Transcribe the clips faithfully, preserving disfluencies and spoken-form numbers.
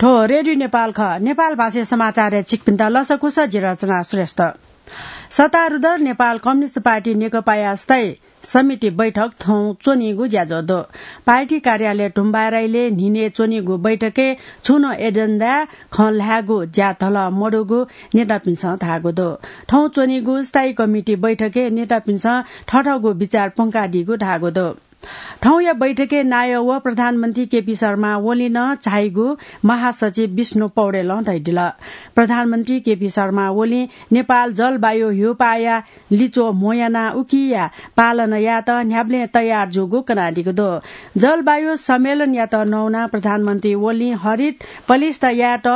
थ्व रेडियो नेपाल खः। नेपाल भाषाय् समाचारय् छिकपिन्त लसकुस, जि रचना श्रेष्ठ। सत्तारूढ नेपाल कम्युनिस्ट पार्टी नेकपाया स्थायी समिति बैठक थौं च्वनीगु ज्याझ्वः दु। पार्टी कार्यालय ढुम्बाराइले न्हिनय् च्वनीगु बैठकय् छुं नं एजेन्डाय् खँ ल्हायेगु ज्या धलं मदुगु नेतापिन्सं धाःगु दु। थौं च्वनीगु स्थायी कमिटी बैठकय् नेतापिन्सं थथःगु विचार प्वंकादीगु धाःगु दु। थौंया बैठकय् नायः व प्रधानमन्त्री केपी शर्मा ओली नं झाइगु महासचिव विष्णु पौडेलं धयादिल। प्रधानमन्त्री केपी शर्मा ओलीं नेपाल जलवायु ह्यूपाःया लिच्वः म्हो यानाः उकिया पालना यायेत न्ह्याबलें तयार जूगु कनादीगु दु। जलवायु सम्मेलनयात नवानाः प्रधानमन्त्री ओलीं हरित पलिस्था यायेत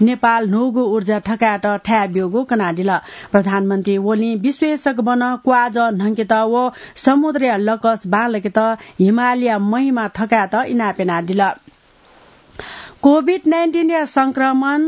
नेपाल न्हूगु ऊर्जा थकायेत थाय् ब्यूगु कनादिल। प्रधानमन्त्री ओलीं विश्वय् सकभनं क्वाजः न्हंकेत व समुद्रया लकस बांलाकेत हिमालया महिमा थकायेत इनाप यानादिल। कोभिड नाइन्टिनया संक्रमण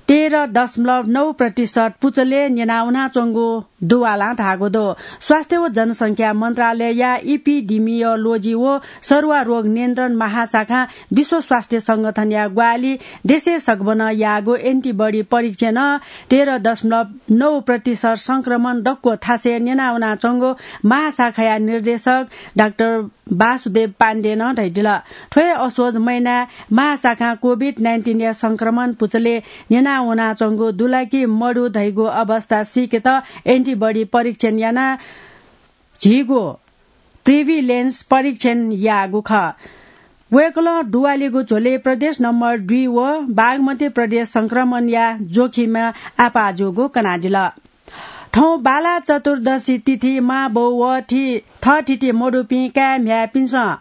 तेह्र दशमलव नौ प्रतिशत पुचलय् न्यनावनाच्वंगु दुवालां धाःगु दु। स्वास्थ्य व जनसंख्या मन्त्रालयया इपिडिमियोलोजी व सरुवा रोग नियन्त्रण महाशाखां विश्व स्वास्थ्य संगठनया ग्वाहालि देशय् सकभनं याःगु एन्टिबडी परीक्षणं तेह्र दशमलव नौ प्रतिशत संक्रमण दक्व थासय् न्यनावनाच्वंगु महाशाखाया निर्देशक डाक्टर वासुदेव पाण्डेनं धयादिल। थ्व हे असोज महिनाय् महाशाखां कोभिड नाइन्टिनया संक्रमण पुचलय् न्यनावनाच्वंगु दु ला कि मदु धइगु अवस्था सीकेत एन्टिबडी परीक्षण यानाः झीगु प्रिभिलेन्स परीक्षण याःगु खः। वय्कलं दुवालीगु झ्वलय् प्रदेश नम्बर दुई व बागमती प्रदेश संक्रमणया जोखिमय् आपाः जूगु कनादिल। थौं बाला चतुर्दशी तिथि मांबौ व थि-, थःथिति मदुपिं काय् म्ह्याय्‌पिन्सं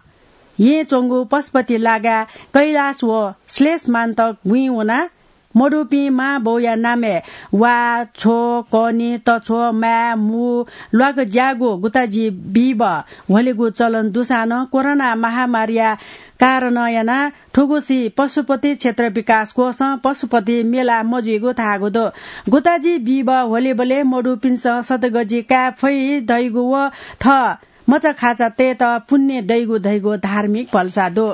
येँ च्वंगु पशुपति लागाय् कैलाश व श्लेष मान्तक गुँइ वनाः मदुपिं मांबौया नामय् वा, छ्व, कनि, तछ्व, माय्, मू, ल्वाकज्याःगु गुताजि बीबः ह्वलेगु चलन दुसां नं कोरोना महामारीया कारणं यानाः थुगुसी पशुपति क्षेत्र विकास कोषं पशुपति मेला मजुइगु धाःगु दु। गुताजि बीबः ह्वलेबलय् मदुपिन्सं सतगजि काये फइ धइगु व थः मचाखाचा तयेत पुण्य दइगु धइगु धार्मिक भलसा दु।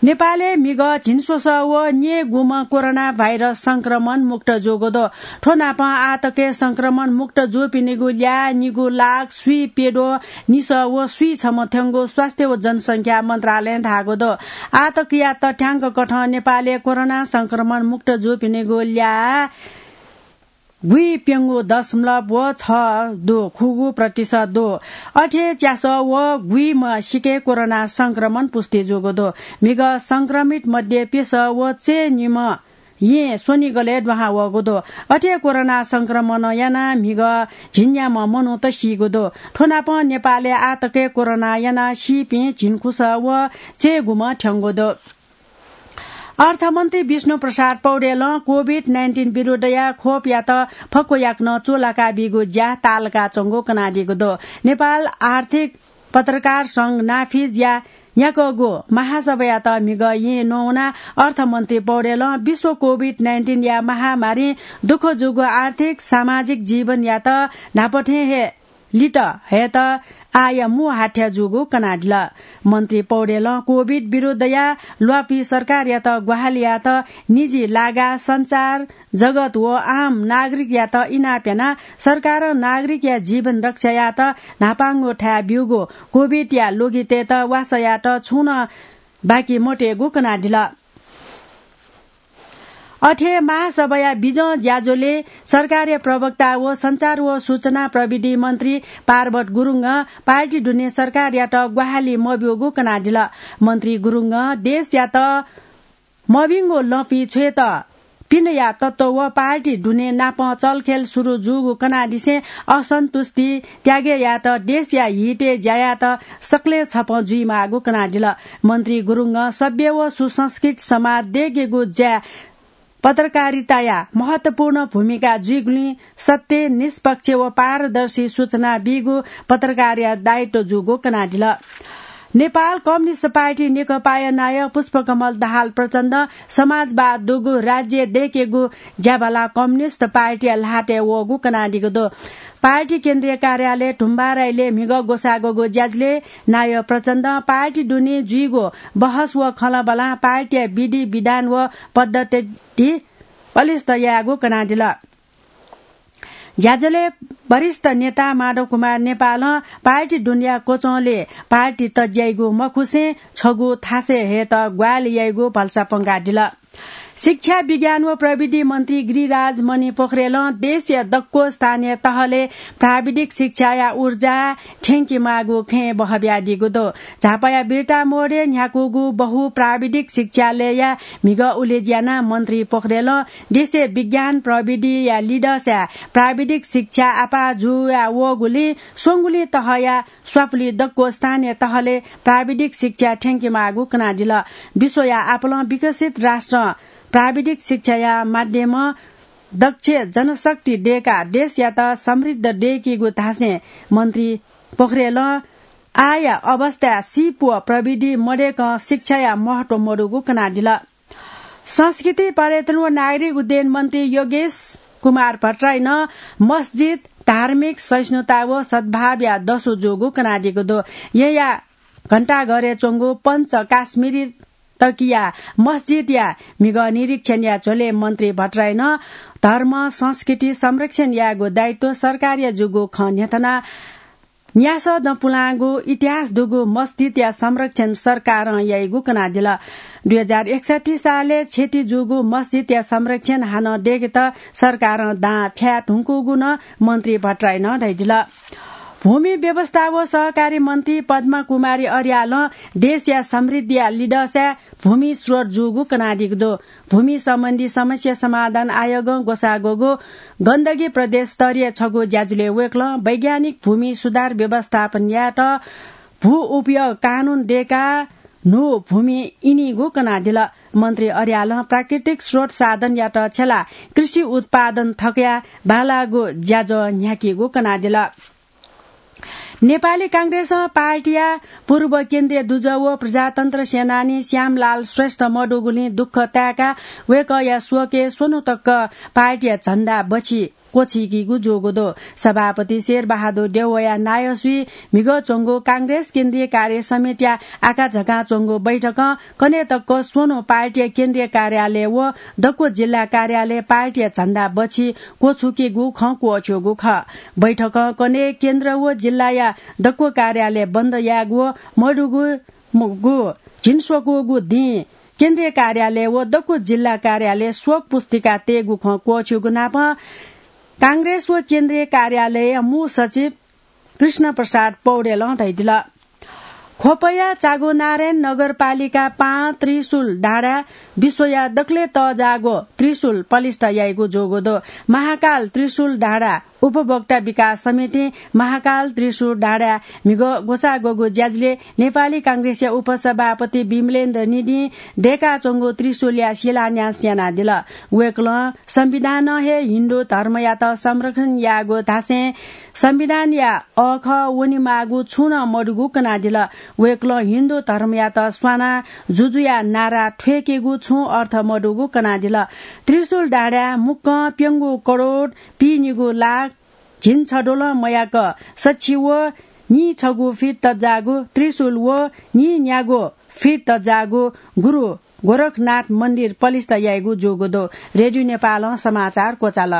नेपालय् म्हिगः झिंस्वसः व न्यय्‌गुम्ह कोरोना भाइरस संक्रमण मुक्त जूगु दु। थ्व नापं आःतकय् संक्रमण मुक्त जूपिनिगु ल्याः निगू लाख स्वीप्यद्वः निसः व स्वीछम्ह थ्यंगु स्वास्थ्य व जनसंख्या मन्त्रालयं धाःगु दु। आःतकया तथ्याङ्क कथं नेपालय् कोरोना संक्रमण मुक्त जूपिनिगु ल्याः गुइप्यंगू दशमलव व छ दु, खुगू प्रतिशत दु। अथे च्यासः व गुइम्ह सिके कोरोना संक्रमण पुष्टि जूगु दु। म्हिगः संक्रमित मध्ये प्यसः व चय्‌निम्ह येँ स्वनिगलय् दुहां वःगु दु। अथे कोरोना संक्रमणं यानाः म्हिगः झिंन्याम्ह मनूत सीगु दु। थ्व नापं नेपालय् आःतकय् कोरोना यानाः सीपिं झिंखुसः व चय्‌गुम्ह थ्यंगु दु। अर्थमन्त्री विष्णु प्रसाद पौडेलं कोभिड नाइन्टिन विरुद्धया खोपयात फक्व याकनं चूलाका बीगु ज्या ताःलाकाच्वंगु कनादीगु दु। नेपाल आर्थिक पत्रकार संघ नाफिजया न्याकःगु महासभायात म्हिगः येँ नवानाः अर्थमन्त्री पौडेलं विश्व कोभिड नाइन्टिनया महामारीं दुःख जूगु आर्थिक सामाजिक जीवनयात न्हापा थें हे लित हयेत आःया मू हाथ्या जूगु कनादिल। मन्त्री पौडेलं कोभिड विरुद्धया ल्वापी सरकारयात ग्वाहालि यायेत निजी लागा, सञ्चार जगत व आम नागरिकयात इनाप यानाः सरकारं नागरिकया जीवन रक्षा यायेत न्हापांगु थाय् ब्यूगु कोभिडया ल्वगितय्त वासः यायेत छुं नं बाकी मतयेगु कनादिल। अथे महासभाया बिजं ज्याझ्वलय् सरकारया प्रवक्ता व सञ्चार व सूचना प्रविधि मन्त्री पार्वत गुरुङं पार्टी दुने सरकारयात ग्वाहालि मब्यूगु कनादिल। मन्त्री गुरुङं देशयात मभिंगु लँपि छ्वयेत पिनेया तत्त्व व पार्टी दुने नापं चलखेल सुरु जूगु कनादिसें असन्तुष्टि त्यागे यायेत देशया हितय् ज्या यायेत सकलें छपं जुइमाःगु कनादिल। मन्त्री गुरुङं सभ्य व सुसंस्कृत समाज देगेगु ज्याय् पत्रकारिताया महत्वपूर्ण भूमिका जुइगुलिं सत्य, निष्पक्ष व पारदर्शी सूचना बीगु पत्रकारया दायित्व जूगु कनादिल। नेपाल कम्युनिस्ट पार्टी नेकपाया नायः पुष्पकमल दाहाल प्रचण्ड समाजवाद दुगु राज्य देकेगु ज्याभाला कम्युनिस्ट पार्टीया ल्हातय् वःगु कनादीगु दु। पार्टी केन्द्रीय कार्यालय ढुम्बाराइले म्हिगः ग्वसाः ग्वःगु ज्याझ्वलय् नायः प्रचण्डं पार्टी दुने जुइगु बहस व खँल्हाबल्हां पार्टीया विधि विधान व पद्धति बलिष्ठ यायेगु कनादिल। ज्याझ्वलय् वरिष्ठ नेता माधव कुमार नेपालं पार्टी दुनेया क्वचंले पार्टी तज्याइगु मखुसें छगू थासय् हयेत ग्वाहालि याइगु भलसा प्वंकादिल। शिक्षा, विज्ञान व प्रविधि मन्त्री गिरिराज मणि पोखरेलं देशया दक्व स्थानीय तहले प्राविधिक शिक्षाया ऊर्जा थ्यंकेमाःगु खँय् बहः बियादीगु दु। झापाया बिर्ता मोडय् न्ह्याकूगु बहु प्राविधिक शिक्षालयया म्हिगः उलेज्यू यानाः मन्त्री पोखरेलं देशय् विज्ञान प्रविधिया लिधःसाय् प्राविधिक शिक्षा आपाः जुया वःगुलिं स्वंगुलिं तहया स्वापुलि दक्व स्थानीय तहले प्राविधिक शिक्षा थ्यंकेमाःगु कनादिल। विश्वया आपालं विकसित राष्ट्रं प्राविधिक शिक्षाया माध्यमं दक्ष जनशक्ति दयेकाः देशयात समृद्ध दयेकीगु धासें मन्त्री पोखरेलं आःया अवस्थाय् सिप व प्रविधि मदय्कं शिक्षाया महत्व मदुगु कनादिल। संस्कृति, पर्यटन व नागरिक उड्डयन मन्त्री योगेश कुमार भट्टराईनं मस्जिद धार्मिक सहिष्णुता व सद्भावया दसु जूगु कनादीगु दु। येँया घण्टाघरय् च्वंगु पञ्च काश्मीरी तकिया मस्जिदया म्हिगः निरीक्षणया झ्वलय् मन्त्री भट्टराईनं धर्म संस्कृति संरक्षण यायेगु दायित्व सरकारया जूगु खँ न्ह्यथनाः न्यासः दँ पुलांगु इतिहास दुगु मस्जिदया संरक्षण सरकारं याइगु कनादिल। दुई हजार एकसट्ठी सालय् क्षति जूगु मस्जिदया संरक्षण हानं दयेकेत सरकारं दां फ्याये धुंकूगु नं मन्त्री भट्टराईनं धयादिल। भूमि व्यवस्था व सहकारी मन्त्री पद्मा कुमारी अर्यालं देशया समृद्धिया लिधःसाय् भूमि स्रोत जूगु कनादीगु दु। भूमि सम्बन्धी समस्या समाधान आयोगं ग्वसाः ग्वःगु गण्डकी प्रदेश स्तरीय छगू ज्याझ्वलय् वय्कलं वैज्ञानिक भूमि सुधार व्यवस्थापन यायेत भू उपयोग कानून दयेकाः न्हू भूमि इनीगु कनादिल। मन्त्री अर्यालं प्राकृतिक स्रोत साधनयात छ्यलाः कृषि उत्पादन थकया बांलाःगु ज्याझ्वः न्ह्याकीगु कनादिल। नेपाली कांग्रेसं पार्टीया पूर्व केन्द्रीय दुजः व प्रजातन्त्र सेनानी श्यामलाल श्रेष्ठ मदुगुलिं दुःख ताय्काः वय्कःया शोकय् स्वन्हु तक पार्टीया झण्डा बछि क्वछुइकीगु जूगु दु। सभापति शेरबहादुर देउवाया नायःसुइ म्हिगः च्वंगु कांग्रेस केन्द्रीय कार्य समितिया आकाझाकां च्वंगु बैठकं कन्हय् तक स्वन्हु पार्टीया केन्द्रीय कार्यालय व दक्व जिल्ला कार्यालय पार्टीया झण्डा बछि क्वछुकीगु खँ क्वःछ्यूगु खः। बैठकं कन्हय् केन्द्र व जिल्लाया दक्व कार्यालय बन्द यायेगु व मदुगु, मदुगु झिंस्वकूगु दिं केन्द्रीय कार्यालय व दक्व जिल्ला कार्यालय शोक पुस्तिका तयेगु खँ क्वःछ्यूगु नापं कांग्रेस व केन्द्रीय कार्यालय मू सचिव कृष्ण प्रसाद पौडेलं धयादिल। ख्वपया चागोनारायण नगरपालिका पाँच त्रिशूल डाँडा विश्वया दकलय् तःजाःगु त्रिशूल पलिस्था याइगु जूगु दु। महाकाल त्रिशूल डाँडा उपभोक्ता विकास समितिं महाकाल त्रिशूल डाँडा म्हिगः ग्वसाः ग्वःगु ज्याझ्वलय् नेपाली कांग्रेसया उपसभापति विमलेन्द्र निधिं दय्काच्वंगु त्रिशूलया शिलान्यास यानादिल। वय्कलं संविधानं हे हिन्दू धर्मयात संरक्षण याःगु धासें संविधानया अःखः वनेमाःगु छुं नं मदुगु कनादिल। वय्कलं हिन्दू धर्मयात स्वानाः जुजुया नारा थ्वय्केगु छुं अर्थ मदुगु कनादिल। त्रिशूल डाँडाय् मुक्कं प्यंगू करोड पीनिगू लाख झिंछदँलं मयाक सछि व नीछगू फिट तज्जाःगु त्रिशूल व नीन्यागू फिट तज्जाःगु गुरु गोरखनाथ मन्दिर पलिस्था याइगु जूगु दु। रेडियो नेपालं समाचार क्वचाल।